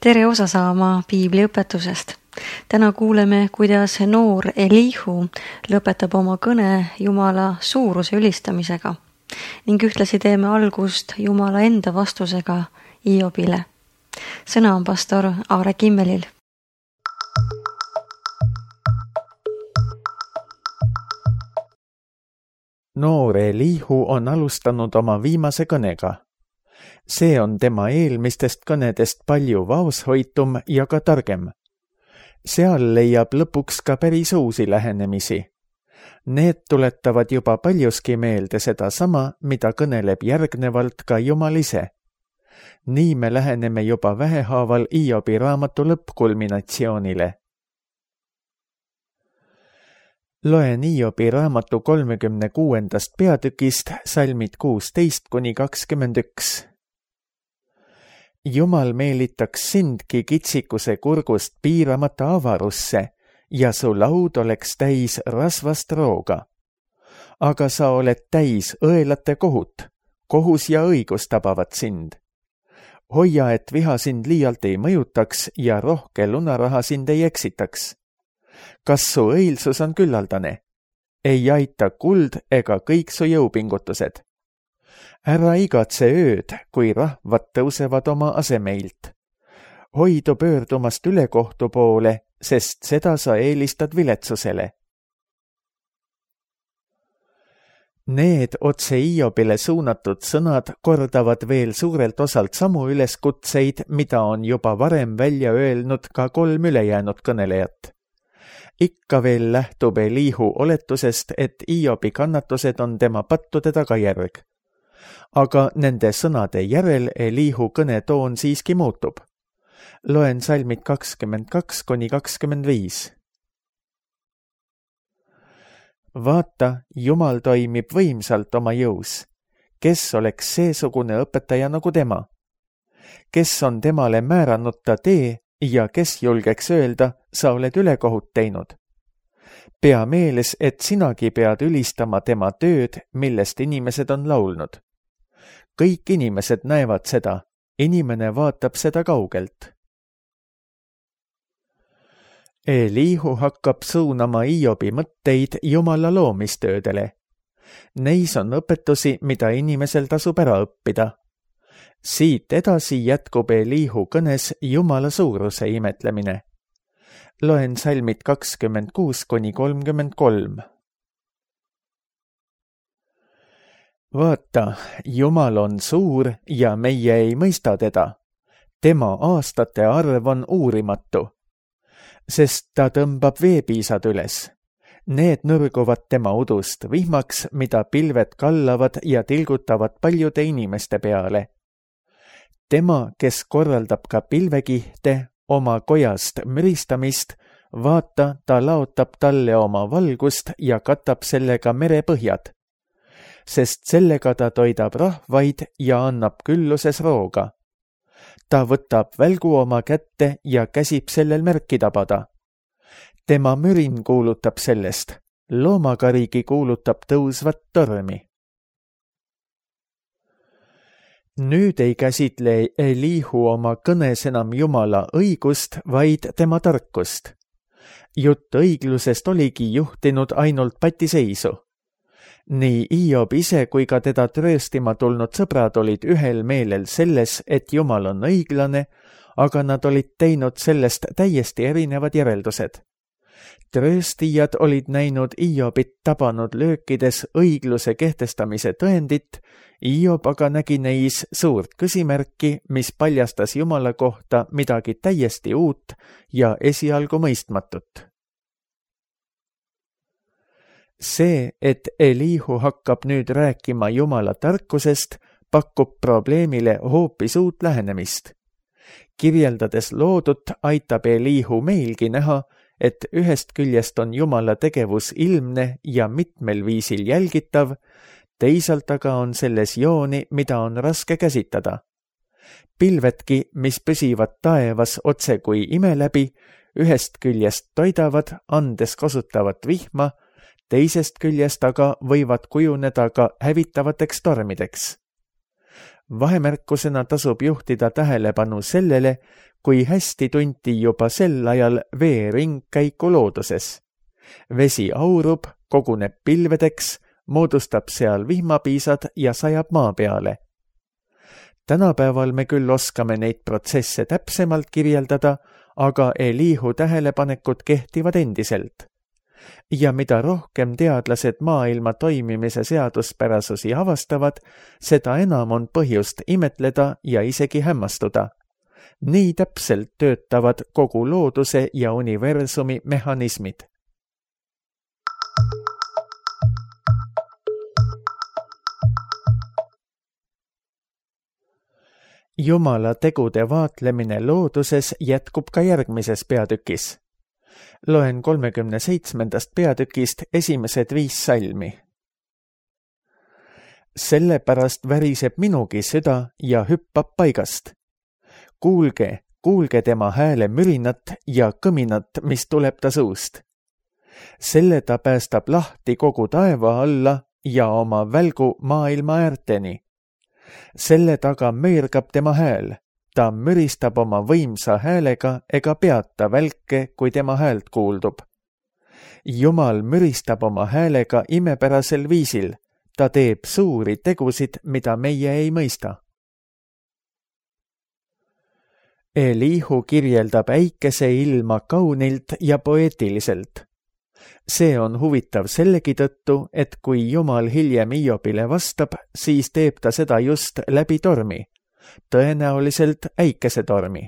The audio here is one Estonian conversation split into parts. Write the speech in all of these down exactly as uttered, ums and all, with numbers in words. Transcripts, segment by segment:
Tere osa saama piibliõpetusest. Täna kuuleme, kuidas noor Elihu lõpetab oma kõne Jumala suuruse ülistamisega ning ühtlasi teeme algust Jumala enda vastusega Iobile. Sõna on pastor Aare Kimmelil. Noor Elihu on alustanud oma viimase kõnega. See on tema eelmistest kõnedest palju vaoshoitum ja ka targem. Seal leiab lõpuks ka päris uusi lähenemisi. Need tuletavad juba paljuski meelde seda sama, mida kõneleb järgnevalt ka Jumal ise. Nii me läheneme juba vähehaaval Iobi raamatu lõppkulminatsioonile. Loen Iobi raamatu kolmekümne kuuendast peatükist salmid kuusteist kuni kakskümmend üks. Jumal meelitaks sindki kitsikuse kurgust piiramata avarusse ja su laud oleks täis rasvast rooga. Aga sa oled täis õelate kohut, kohus ja õigus tabavad sind. Hoia, et viha sind liialt ei mõjutaks ja rohke lunaraha sind ei eksitaks. Kas su õilsus on küllaldane? Ei aita kuld ega kõik su jõupingutused. Ära igatse ööd, kui rahvad tõusevad oma asemeilt. Hoidu pöördumast ülekohtu poole, sest seda sa eelistad viletsusele. Need otse Iobile suunatud sõnad kordavad veel suurelt osalt samu üleskutseid, mida on juba varem välja öelnud ka kolm ülejäänud kõnelejat. Ikka veel lähtub Elihu oletusest, et Iobi kannatused on tema pattude tagajärg. Aga nende sõnade järel Elihu kõnetoon siiski muutub. Loen salmid kakskümmend kaks kuni kakskümmend viis. Vaata, Jumal toimib võimsalt oma jõus. Kes oleks seesugune õpetaja nagu tema? Kes on temale määranud ta tee ja kes julgeks öelda, sa oled ülekohut teinud? Pea meeles, et sinagi pead ülistama tema tööd, millest inimesed on laulnud. Kõik inimesed näevad seda, inimene vaatab seda kaugelt. Elihu hakkab suunama Iobi mõtteid Jumala loomistöödele. Neis on õpetusi, mida inimesel tasub ära õppida. Siit edasi jätkub Elihu kõnes Jumala suuruse imetlemine. Loen salmid kakskümmend kuus kuni kolmkümmend kolm. Vaata, Jumal on suur ja meie ei mõista teda. Tema aastate arv on uurimatu, sest ta tõmbab veepiisad üles. Need nõrguvad tema udust vihmaks, mida pilved kallavad ja tilgutavad paljude inimeste peale. Tema, kes korraldab ka pilvekihte, oma kojast müristamist, vaata, ta laotab talle oma valgust ja katab sellega merepõhjad. Sest sellega ta toidab rahvaid ja annab külluses rooga. Ta võtab välgu oma kätte ja käsib sellel märki tabada. Tema mürin kuulutab sellest, loomakarigi kuulutab tõusvat tormi. Nüüd ei käsitle Elihu oma kõnes enam Jumala õigust, vaid tema tarkust. Jutt õiglusest oligi juhtinud ainult patiseisu. Nii Iob ise kui ka teda trööstima tulnud sõbrad olid ühel meelel selles, et Jumal on õiglane, aga nad olid teinud sellest täiesti erinevad järeldused. Trööstijad olid näinud Iobit tabanud löökides õigluse kehtestamise tõendit, Iob aga nägi neis suurt küsimärki, mis paljastas Jumala kohta midagi täiesti uut ja esialgu mõistmatut. See, et Elihu hakkab nüüd rääkima Jumala tarkusest, pakub probleemile hoopis uut lähenemist. Kirjeldades loodut aitab Elihu meilgi näha, et ühest küljest on Jumala tegevus ilmne ja mitmel viisil jälgitav, teisalt aga on selles jooni, mida on raske käsitada. Pilvedki, mis püsivad taevas otse kui ime läbi, ühest küljest toidavad, andes kasutavat vihma, teisest küljest aga võivad kujuneda ka hävitavateks tormideks. Vahemärkusena tasub juhtida tähelepanu sellele, kui hästi tunti juba sel ajal vee ringkäiku looduses. Vesi aurub, koguneb pilvedeks, moodustab seal vihmapiisad ja sajab maa peale. Tänapäeval me küll oskame neid protsesse täpsemalt kirjeldada, aga Elihu tähelepanekud kehtivad endiselt. Ja mida rohkem teadlased maailma toimimise seaduspärasusi avastavad, seda enam on põhjust imetleda ja isegi hämmastuda. Nii täpselt töötavad kogu looduse ja universumi mehhanismid. Jumala tegude vaatlemine looduses jätkub ka järgmises peatükis. Loen kolmekümne seitsmendast peatükist esimesed viis salmi. Sellepärast väriseb minugi süda ja hüppab paigast. Kuulge, kuulge tema hääle mürinat ja kõminat, mis tuleb ta suust. Selle ta päästab lahti kogu taeva alla ja oma välgu maailma äärteni. Selle taga möirgab tema hääl. Ta müristab oma võimsa häälega ega peata välke, kui tema häält kuuldub. Jumal müristab oma häälega imepärasel viisil. Ta teeb suuri tegusid, mida meie ei mõista. Elihu kirjeldab äikese ilma kaunilt ja poeetiliselt. See on huvitav sellegi tõttu, et kui Jumal hiljem Iobile vastab, siis teeb ta seda just läbi tormi. Tõenäoliselt äikesetormi.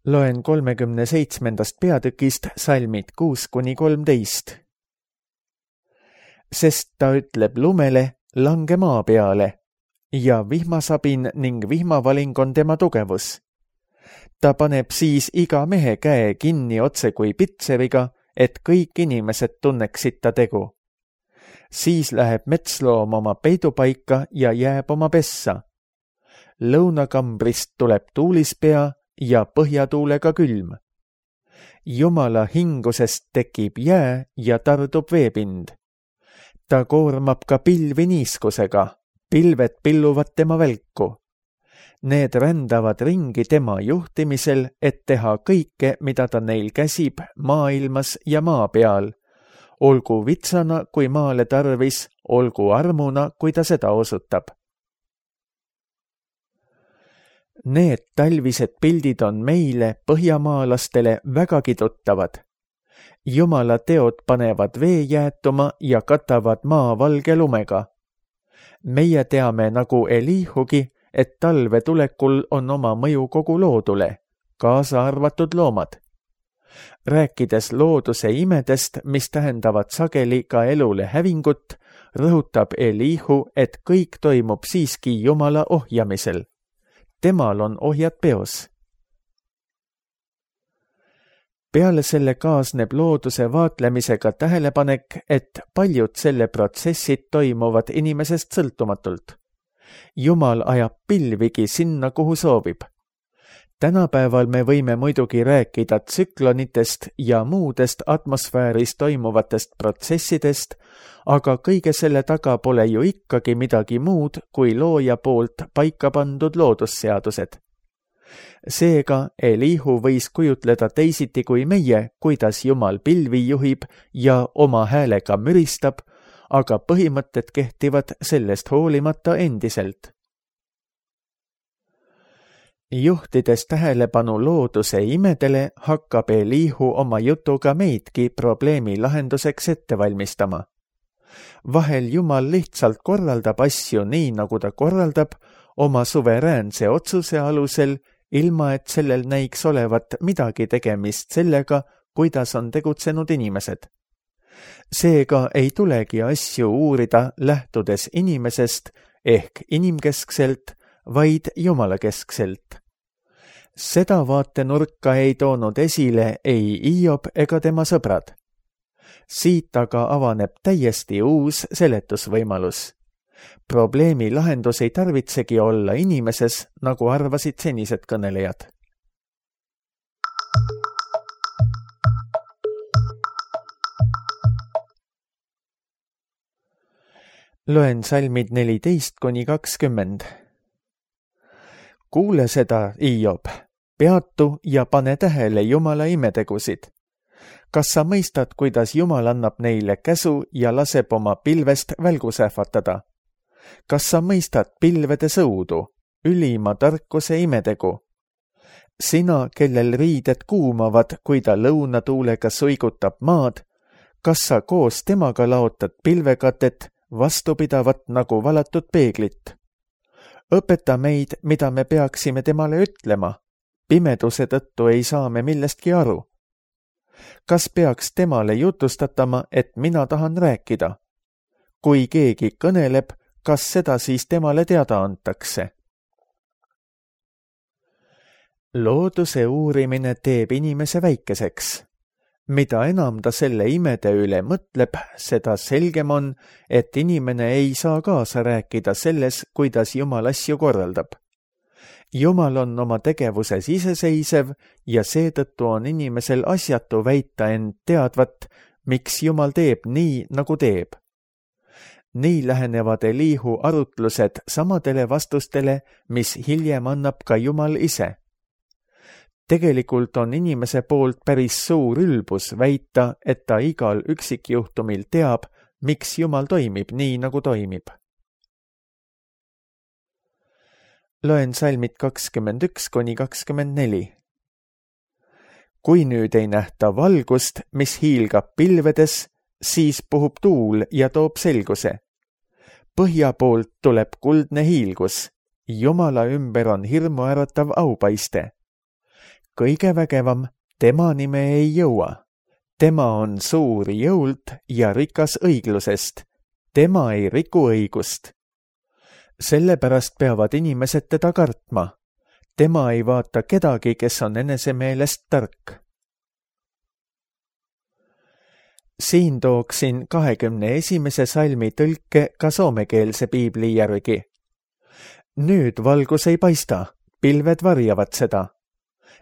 Loen kolmekümne seitsmendast peatükist salmid kuus kuni kolmteist. Sest ta ütleb lumele, lange maa peale, ja vihmasabin ning vihmavaling on tema tugevus. Ta paneb siis iga mehe käe kinni otse kui pitseriga, et kõik inimesed tunneksid ta tegu. Siis läheb metsloom oma peidupaika ja jääb oma pessa. Lõunakambrist tuleb tuulispea ja põhjatuulega külm. Jumala hingusest tekib jää ja tardub veepind. Ta koormab ka pilvi niiskusega, pilved pilluvad tema välku. Need rändavad ringi tema juhtimisel, et teha kõike, mida ta neil käsib maailmas ja maa peal. Olgu vitsana, kui maale tarvis, olgu armuna, kui ta seda osutab. Need talvised pildid on meile, põhjamaalastele, vägagi tuttavad. Jumala teod panevad vee jäätuma ja katavad maa valge lumega. Meie teame nagu Elihugi, et talve tulekul on oma mõju kogu loodule, kaasa arvatud loomad. Rääkides looduse imedest, mis tähendavad sageli ka elule hävingut, rõhutab Elihu, et kõik toimub siiski Jumala ohjamisel. Temal on ohjad peos. Peale selle kaasneb looduse vaatlemisega tähelepanek, et paljud selle protsessid toimuvad inimesest sõltumatult. Jumal ajab pilvigi sinna, kuhu soovib. Tänapäeval me võime muidugi rääkida tsüklonitest ja muudest atmosfääris toimuvatest protsessidest, aga kõige selle taga pole ju ikkagi midagi muud kui looja poolt paika pandud loodusseadused. Seega Elihu võis kujutleda teisiti kui meie, kuidas Jumal pilvi juhib ja oma häälega müristab, aga põhimõtted kehtivad sellest hoolimata endiselt. Juhtides tähelepanu looduse imedele, hakkab Elihu oma jutuga meidki probleemi lahenduseks ette valmistama. Vahel Jumal lihtsalt korraldab asju nii, nagu ta korraldab, oma suveräänse otsuse alusel, ilma et sellel näiks olevat midagi tegemist sellega, kuidas on tegutsenud inimesed. Seega ei tulegi asju uurida lähtudes inimesest ehk inimkeskselt, vaid jumalakeskselt. Seda vaatenurka ei toonud esile ei Hiob ega tema sõbrad. Siit aga avaneb täiesti uus seletusvõimalus. Probleemi lahendus ei tarvitsegi olla inimeses, nagu arvasid senised kõnelejad. Loen salmid neliteist kuni kakskümmend. Kuule seda, Hiob, peatu ja pane tähele Jumala imetegusid. Kas sa mõistad, kuidas Jumal annab neile käsu ja laseb oma pilvest välgus ähvatada? Kas sa mõistad pilvede sõudu, ülima tarkuse imetegu? Sina, kellel riided kuumavad, kui ta lõunatuulega suigutab maad, kas sa koos temaga laotad pilvekatet, vastupidavat nagu valatud peeglit? Õpeta meid, mida me peaksime temale ütlema. Pimeduse tõttu ei saa me millestki aru. Kas peaks temale jutustatama, et mina tahan rääkida? Kui keegi kõneleb, kas seda siis temale teada antakse? Looduse uurimine teeb inimese väikeseks. Mida enam ta selle imede üle mõtleb, seda selgem on, et inimene ei saa kaasa rääkida selles, kuidas Jumal asju korraldab. Jumal on oma tegevuses iseseisev ja seetõttu on inimesel asjatu väita end teadvat, miks Jumal teeb nii, nagu teeb. Nii lähenevad Elihu arutlused samadele vastustele, mis hiljem annab ka Jumal ise. Tegelikult on inimese poolt päris suur ülbus väita, et ta igal üksikjuhtumil teab, miks Jumal toimib nii, nagu toimib. Loen salmid kakskümmend üks kuni kakskümmend neli. Kui nüüd ei nähta valgust, mis hiilgab pilvedes, siis puhub tuul ja toob selguse. Põhja poolt tuleb kuldne hiilgus. Jumala ümber on hirmuäratav aupaiste. Kõige vägevam, tema nime ei jõua. Tema on suur jõult ja rikas õiglusest. Tema ei riku õigust. Sellepärast peavad inimesed teda kartma. Tema ei vaata kedagi, kes on enese meelest tark. Siin tooksin kahekümne esimese salmi tõlke ka soomekeelse piibli järgi. Nüüd valgus ei paista, pilved varjavad seda.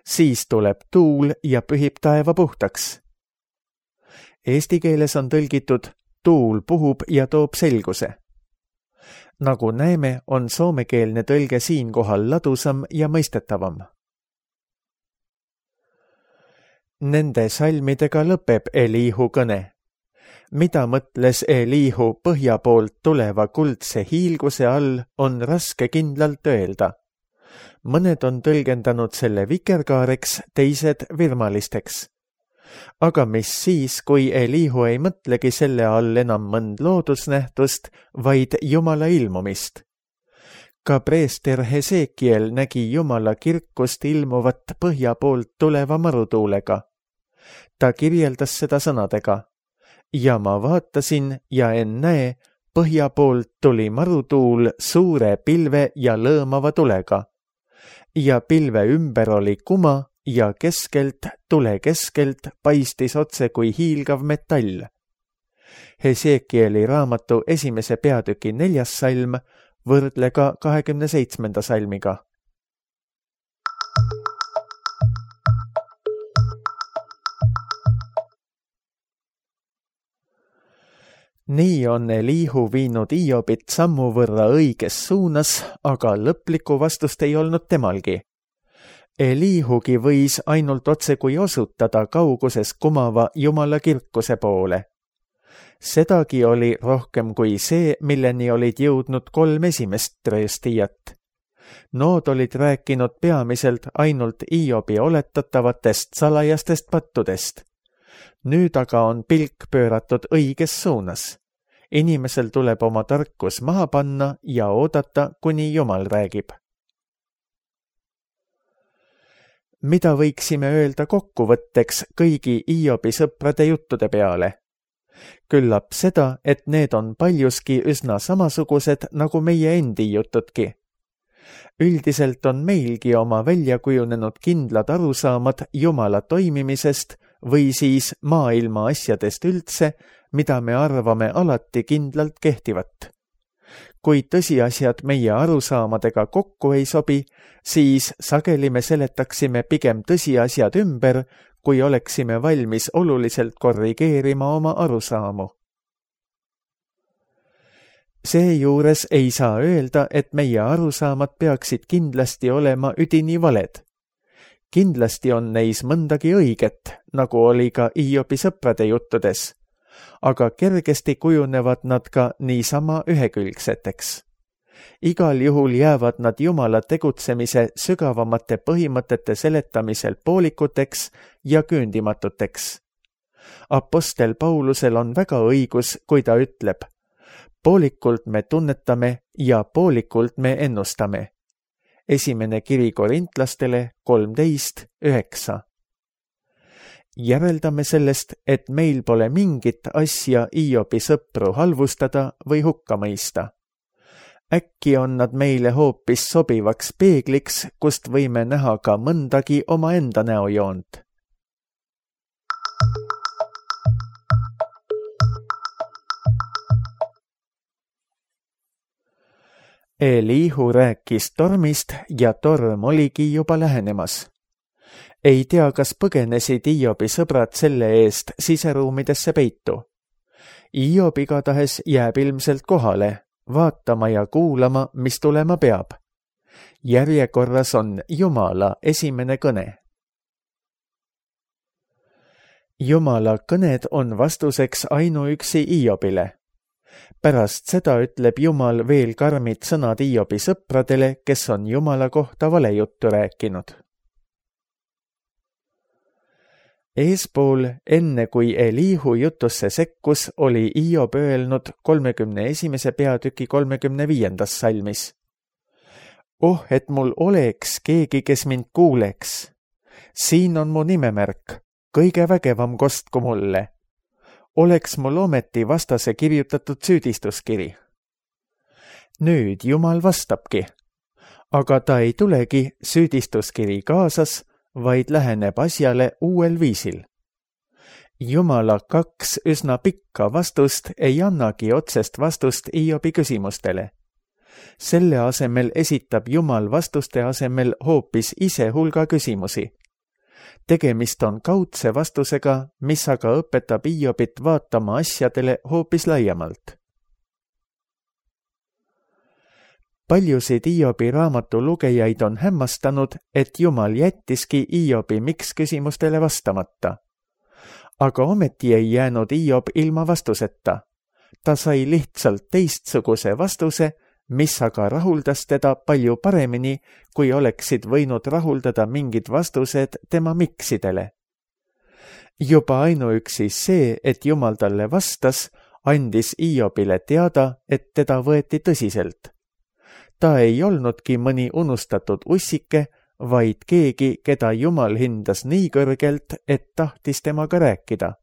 Siis tuleb tuul ja pühib taeva puhtaks. Eesti keeles on tõlgitud tuul puhub ja toob selguse. Nagu näeme, on soomekeelne tõlge siinkohal ladusam ja mõistetavam. Nende salmidega lõpeb Elihu kõne. Mida mõtles Elihu põhja poolt tuleva kuldse hiilguse all, on raske kindlalt öelda. Mõned on tõlgendanud selle vikerkaareks, teised virmalisteks. Aga mis siis, kui Elihu ei mõtlegi selle all enam mõnd loodusnähtust, vaid Jumala ilmumist? Ka preester Hesekiel nägi Jumala kirkust ilmuvat põhja poolt tuleva marutuulega. Ta kirjeldas seda sõnadega. Ja ma vaatasin ja ennäe, põhja poolt tuli marutuul suure pilve ja lõõmava tulega. Ja pilve ümber oli kuma ja keskelt, tule keskelt paistis otse kui hiilgav metall. Hesekieli raamatu esimese peatüki neljas salm, võrdle ka kahekümne seitsmenda salmiga. Nii on Elihu viinud Hiobit sammu võrra õiges suunas, aga lõplikku vastust ei olnud temalgi. Elihugi võis ainult otse kui osutada kauguses kumava Jumala kirkuse poole. Sedagi oli rohkem kui see, milleni olid jõudnud kolm esimest trööstijat. Nood olid rääkinud peamiselt ainult Hiobi oletatavatest salajastest pattudest. Nüüd aga on pilk pööratud õiges suunas. Inimesel tuleb oma tarkus maha panna ja oodata, kuni Jumal räägib. Mida võiksime öelda kokkuvõtteks kõigi Hiobi sõprade juttude peale? Küllap seda, et need on paljuski üsna samasugused nagu meie endi jutudki. Üldiselt on meilgi oma välja kujunenud kindlad arusaamad Jumala toimimisest või siis maailma asjadest üldse, mida me arvame alati kindlalt kehtivat. Kui tõsiasjad meie arusaamadega kokku ei sobi, siis sageli me seletaksime pigem tõsiasjad ümber, kui oleksime valmis oluliselt korrigeerima oma arusaamu. Seejuures ei saa öelda, et meie arusaamad peaksid kindlasti olema üdini valed. Kindlasti on neis mõndagi õiget, nagu oli ka Hiobi sõprade juttudes, aga kergesti kujunevad nad ka niisama ühekülgseteks. Igal juhul jäävad nad Jumala tegutsemise sügavamate põhimõtete seletamisel poolikuteks ja küündimatuteks. Apostel Paulusel on väga õigus, kui ta ütleb: poolikult me tunnetame ja poolikult me ennustame. Esimene kiri korintlastele kolmteist üheksa. Järeldame sellest, et meil pole mingit asja Hiobi sõpru halvustada või hukka mõista. Äkki on nad meile hoopis sobivaks peegliks, kust võime näha ka mõndagi omaenda näojoont. Elihu rääkis tormist ja torm oligi juba lähenemas. Ei tea, kas põgenesid Hiobi sõbrad selle eest siseruumidesse peitu. Hiob igatahes jääb ilmselt kohale, vaatama ja kuulama, mis tulema peab. Järjekorras on Jumala esimene kõne. Jumala kõned on vastuseks ainuüksi Hiobile. Pärast seda ütleb Jumal veel karmid sõnad Hiobi sõpradele, kes on Jumala kohta valejuttu rääkinud. Eespool, enne kui Elihu jutusse sekkus, oli Hiob öelnud kolmekümne esimese peatüki kolmekümne viiendas salmis: oh, et mul oleks keegi, kes mind kuuleks. Siin on mu nimemärk, kõige vägevam kostku mulle. Oleks mul ometi vastase kirjutatud süüdistuskiri. Nüüd Jumal vastabki, aga ta ei tulegi süüdistuskiri kaasas, vaid läheneb asjale uuel viisil. Jumala kaks üsna pikka vastust ei annagi otsest vastust Hiobi küsimustele. Selle asemel esitab Jumal vastuste asemel hoopis ise hulga küsimusi. Tegemist on kaudse vastusega, mis aga õpetab Hiobit vaatama asjadele hoopis laiemalt. Paljusid Hiobi raamatu lugejaid on hämmastanud, et Jumal jättiski Hiobi miks küsimustele vastamata. Aga ometi ei jäänud Hiob ilma vastuseta. Ta sai lihtsalt teistsuguse vastuse, mis aga rahuldas teda palju paremini, kui oleksid võinud rahuldada mingid vastused tema miksidele. Juba ainuüksi see, et Jumal talle vastas, andis Hiobile teada, et teda võeti tõsiselt. Ta ei olnudki mõni unustatud ussike, vaid keegi, keda Jumal hindas nii kõrgelt, et tahtis temaga rääkida.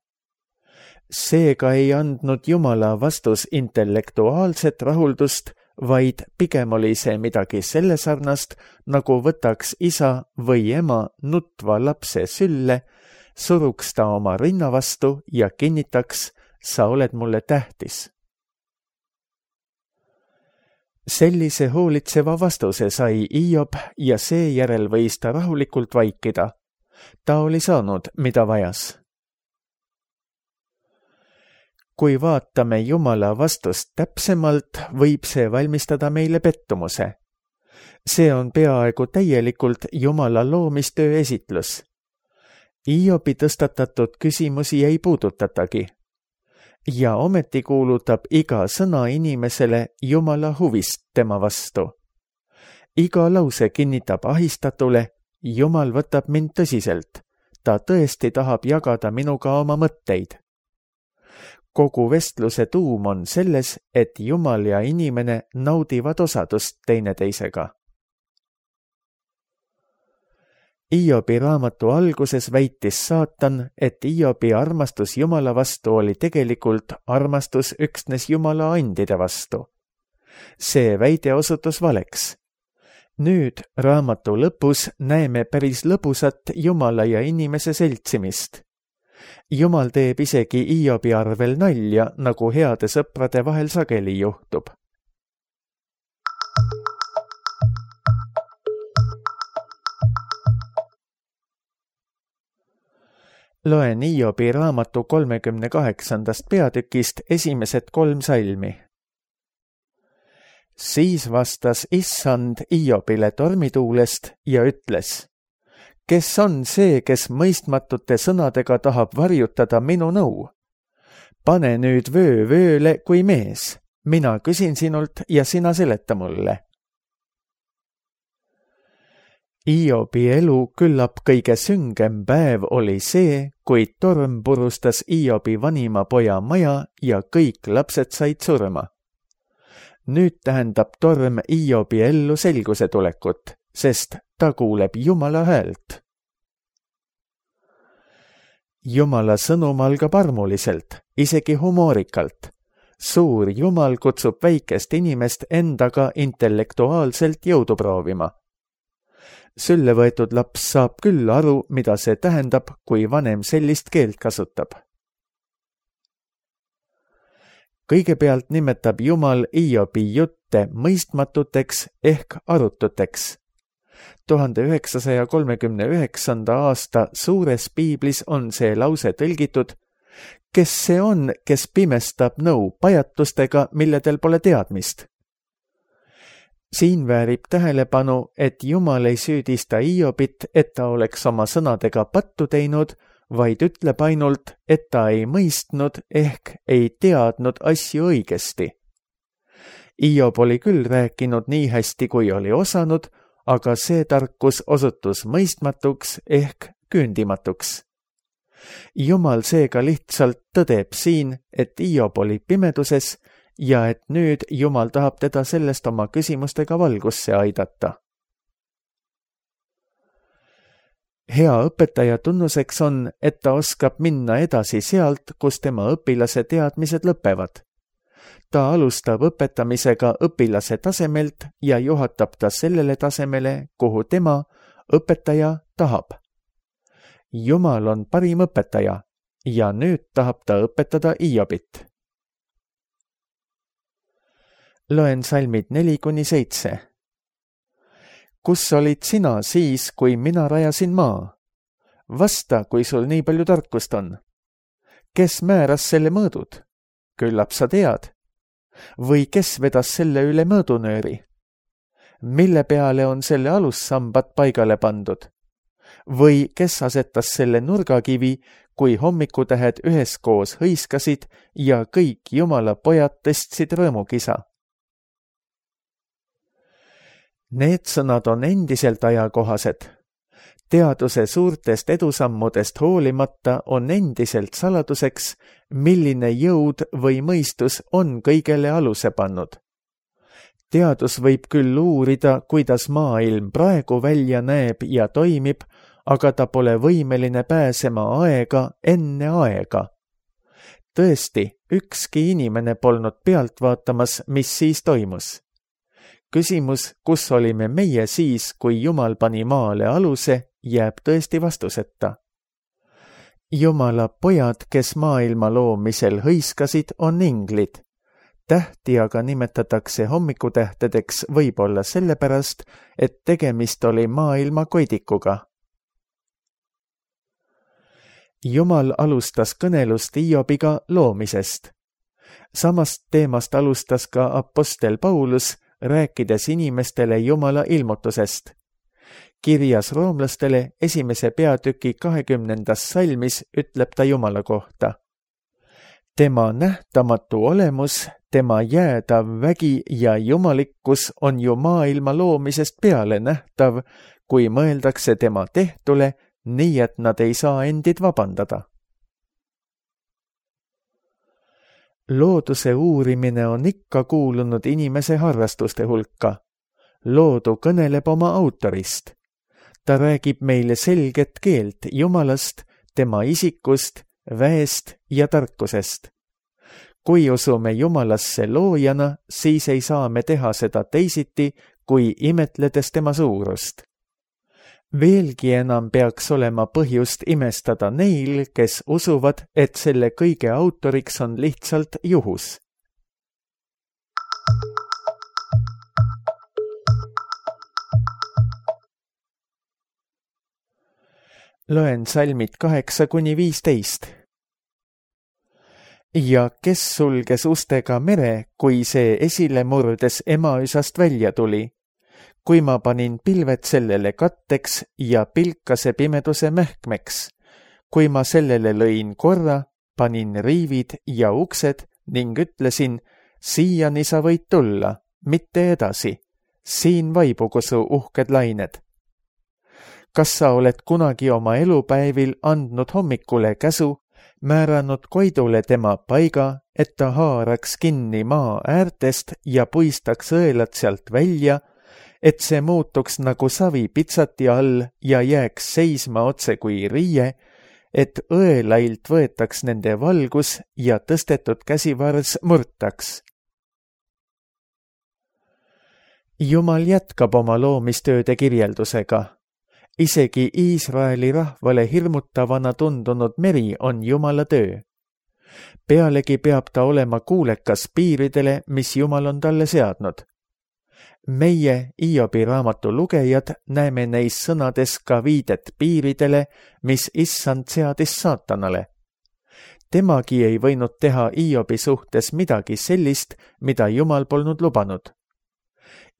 Seega ei andnud Jumala vastus intellektuaalset rahuldust, vaid pigem oli see midagi selle sarnast, nagu võtaks isa või ema nutva lapse sülle, suruks ta oma rinna vastu ja kinnitaks: sa oled mulle tähtis. Sellise hoolitseva vastuse sai Hiob ja seejärel võis ta rahulikult vaikida. Ta oli saanud, mida vajas. Kui vaatame Jumala vastust täpsemalt, võib see valmistada meile pettumuse. See on peaaegu täielikult Jumala loomistöö esitlus. Hiobi tõstatatud küsimusi ei puudutatagi. Ja ometi kuulutab iga sõna inimesele Jumala huvist tema vastu. Iga lause kinnitab ahistatule: Jumal võtab mind tõsiselt. Ta tõesti tahab jagada minuga oma mõtteid. Kogu vestluse tuum on selles, et Jumal ja inimene naudivad osadust teineteisega. Hiobi raamatu alguses väitis saatan, et Hiobi armastus Jumala vastu oli tegelikult armastus üksnes Jumala andide vastu. See väide osutus valeks. Nüüd raamatu lõpus näeme päris lõbusat Jumala ja inimese seltsimist. Jumal teeb isegi Hiobi arvel nalja, nagu heade sõprade vahel sageli juhtub. Loen Hiobi raamatu kolmekümne kaheksandast peatükist esimesed kolm salmi. Siis vastas issand Hiobile tormituulest ja ütles: kes on see, kes mõistmatute sõnadega tahab varjutada minu nõu? Pane nüüd vöö vööle kui mees. Mina küsin sinult ja sina seleta mulle. Hiobi elu küllap kõige süngem päev oli see, kui torm purustas Hiobi vanima poja maja ja kõik lapsed said surma. Nüüd tähendab torm Hiobi ellu selguse tulekut, sest ta kuuleb Jumala häält. Jumala sõnum algab armuliselt, isegi humoorikalt. Suur Jumal kutsub väikest inimest endaga intellektuaalselt jõudu proovima. Sülle võetud laps saab küll aru, mida see tähendab, kui vanem sellist keelt kasutab. Kõigepealt nimetab Jumal Hiobi jutte mõistmatuteks ehk arututeks. tuhande üheksasaja kolmekümne üheksanda aasta suures piiblis on see lause tõlgitud: kes see on, kes pimestab nõu pajatustega, milledel pole teadmist? Siin väärib tähelepanu, et Jumal ei süüdista Hiobit, et ta oleks oma sõnadega pattu teinud, vaid ütleb ainult, et ta ei mõistnud ehk ei teadnud asju õigesti. Hiob oli küll rääkinud nii hästi, kui oli osanud, aga see tarkus osutus mõistmatuks ehk küündimatuks. Jumal seega lihtsalt tõdeb siin, et Hiob oli pimeduses ja et nüüd Jumal tahab teda sellest oma küsimustega valgusse aidata. Hea õpetaja tunnuseks on, et ta oskab minna edasi sealt, kus tema õpilase teadmised lõpevad. Ta alustab õpetamisega õpilase tasemelt ja juhatab ta sellele tasemele, kuhu tema, õpetaja, tahab. Jumal on parim õpetaja ja nüüd tahab ta õpetada Hiobit. Loen salmid neli kuni seitse. Kus olid sina siis, kui mina rajasin maa? Vasta, kui sul nii palju tarkust on. Kes määras selle mõõdud? Küllap sa tead. Või kes vedas selle üle mõõdunööri? Mille peale on selle alussambad paigale pandud? Või kes asetas selle nurgakivi, kui hommikutähed üheskoos hõiskasid ja kõik Jumala pojad tõstsid rõõmukisa? Need sõnad on endiselt ajakohased. Teaduse suurtest edusammudest hoolimata on endiselt saladuseks, milline jõud või mõistus on kõigele aluse pannud. Teadus võib küll uurida, kuidas maailm praegu välja näeb ja toimib, aga ta pole võimeline pääsema aega enne aega. Tõesti, ükski inimene polnud pealt vaatamas, mis siis toimus. Küsimus, kus olime meie siis, kui Jumal pani maale aluse, jääb tõesti vastuseta. Jumala pojad, kes maailma loomisel hõiskasid, on inglid. Tähti aga nimetatakse hommikutähtedeks võib-olla sellepärast, et tegemist oli maailma koidikuga. Jumal alustas kõnelust Hiobiga loomisest. Samast teemast alustas ka apostel Paulus, rääkides inimestele Jumala ilmutusest. Kirjas roomlastele esimese peatüki kahekümnendas salmis ütleb ta Jumala kohta. Tema nähtamatu olemus, tema jäädav vägi ja jumalikkus on ju maailma loomisest peale nähtav, kui mõeldakse tema tehtule, nii et nad ei saa endid vabandada. Looduse uurimine on ikka kuulunud inimese harrastuste hulka. Loodu kõneleb oma autorist. Ta räägib meile selget keelt Jumalast, tema isikust, väest ja tarkusest. Kui usume Jumalasse loojana, siis ei saa me teha seda teisiti, kui imetledes tema suurust. Veelgi enam peaks olema põhjust imestada neil, kes usuvad, et selle kõige autoriks on lihtsalt juhus. Loen salmid kaheksa kuni viisteist. ja kes sulges ustega mere, kui see esile murdes emaüsast välja tuli, kui ma panin pilved sellele katteks ja pilkase pimeduse mähkmeks, kui ma sellele lõin korra, panin riivid ja uksed ning ütlesin, siiani sa võid tulla, mitte edasi, siin vaibugu su uhked lained. Kas sa oled kunagi oma elupäevil andnud hommikule käsu, määranud Koidule tema paiga, et ta haaraks kinni maa äärtest ja puistaks õelad sealt välja, et see muutuks nagu savi pitsati all ja jääks seisma otse kui riie, et õelailt võetaks nende valgus ja tõstetud käsivars murtaks. Jumal jätkab oma loomistööde kirjeldusega. Isegi Iisraeli rahvale hirmutavana tundunud meri on Jumala töö. Pealegi peab ta olema kuulekas piiridele, mis Jumal on talle seadnud. Meie, Hiobi raamatu lugejad, näeme neis sõnades ka viidet piiridele, mis issand seadis saatanale. Temagi ei võinud teha Hiobi suhtes midagi sellist, mida Jumal polnud lubanud.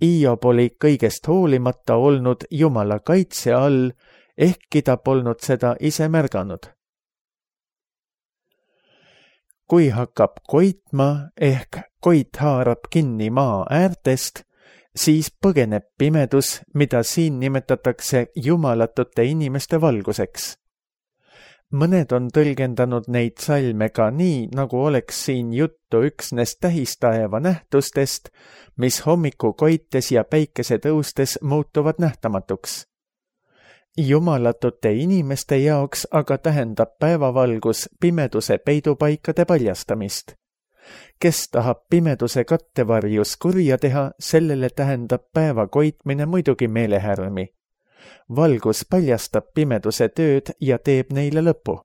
Hiob oli kõigest hoolimata olnud Jumala kaitse all, ehkki ta polnud seda ise märganud. Kui hakkab koitma ehk koit haarab kinni maa äärtest, siis põgeneb pimedus, mida siin nimetatakse jumalatute inimeste valguseks. Mõned on tõlgendanud neid salme ka nii, nagu oleks siin juttu üksnes tähistaeva nähtustest, mis hommiku koites ja päikese tõustes muutuvad nähtamatuks. Jumalatute inimeste jaoks aga tähendab päevavalgus pimeduse peidupaikade paljastamist. Kes tahab pimeduse kattevarjus kurja teha, sellele tähendab päeva koitmine muidugi meelehärmi. Valgus paljastab pimeduse tööd ja teeb neile lõpu.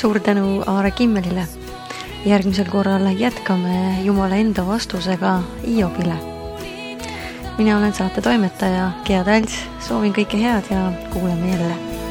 Suur tänu Aare Kimmelile. Järgmisel korral jätkame Jumala enda vastusega Hiobile. Mina olen saate toimetaja Gea Talts, soovin kõike head ja kuuleme jälle.